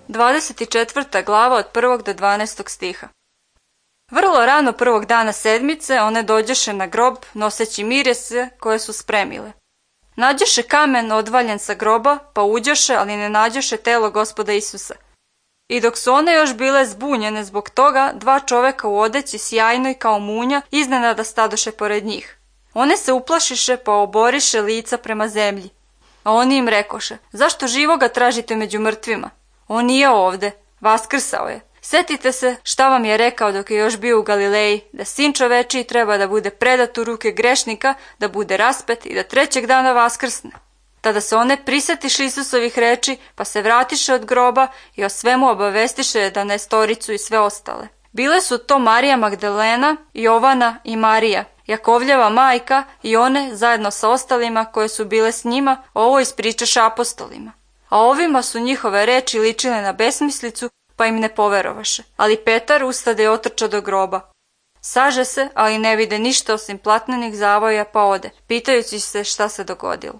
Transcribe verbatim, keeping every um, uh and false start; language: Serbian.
dvadeset četvrta glava od prvog do dvanaestog stiha. Vrlo rano prvog dana sedmice one dođeše na grob noseći mirjese koje su spremile. Nađeše kamen odvaljen sa groba, pa uđoše, ali ne nađoše telo Gospoda Isusa. I dok su one još bile zbunjene zbog toga, dva čoveka u odeći sjajnoj kao munja iznenada stadoše pored njih. One se uplašiše pa oboriše lica prema zemlji. A oni im rekoše: zašto živoga tražite među mrtvima? On nije ovde, vaskrsao je. Setite se šta vam je rekao dok je još bio u Galileji, da sin čovečiji treba da bude predat u ruke grešnika, da bude raspet i da trećeg dana vaskrsne. Tada se one prisetiše Isusovih reči, pa se vratiše od groba i o svemu obavestiše jedanaestoricu i sve ostale. Bile su to Marija Magdalena, Jovana i Marija, Jakovljeva majka, i one, zajedno sa ostalima koje su bile s njima, ovo ispričaše apostolima. A ovima su njihove reči ličile na besmislicu, pa im ne poverovaše. Ali Petar ustade i otrča do groba. Saže se, ali ne vide ništa osim platnenih zavoja, pa ode, pitajući se šta se dogodilo.